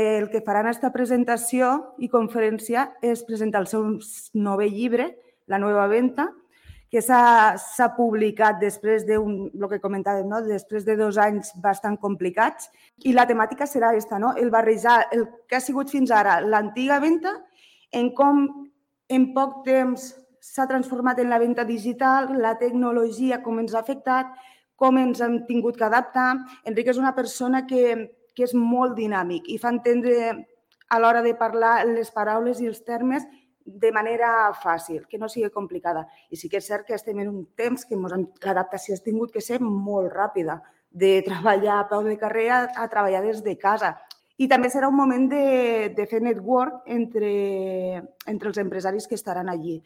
El que faran a aquesta presentació i conferència és presentar el seu nou llibre, La nova venta, que s'ha publicat després de el que comentàvem, no? Després de 2 anys bastant complicats. I la temàtica serà aquesta, no? El barrejar el que ha sigut fins ara l'antiga venta en com en poc temps s'ha transformat en la venta digital, la tecnologia, com ens ha afectat, com ens hem tingut que adaptar. Enric és una persona que és molt dinàmic i fa entendre a l'hora de parlar les paraules i els termes de manera fàcil, que no sigui complicada. I sí que és cert que estem en un temps que l'adaptació ha tingut que ser molt ràpida, de treballar a peu de carrer a treballar des de casa. I també serà un moment de fer network entre els empresaris que estaran allí.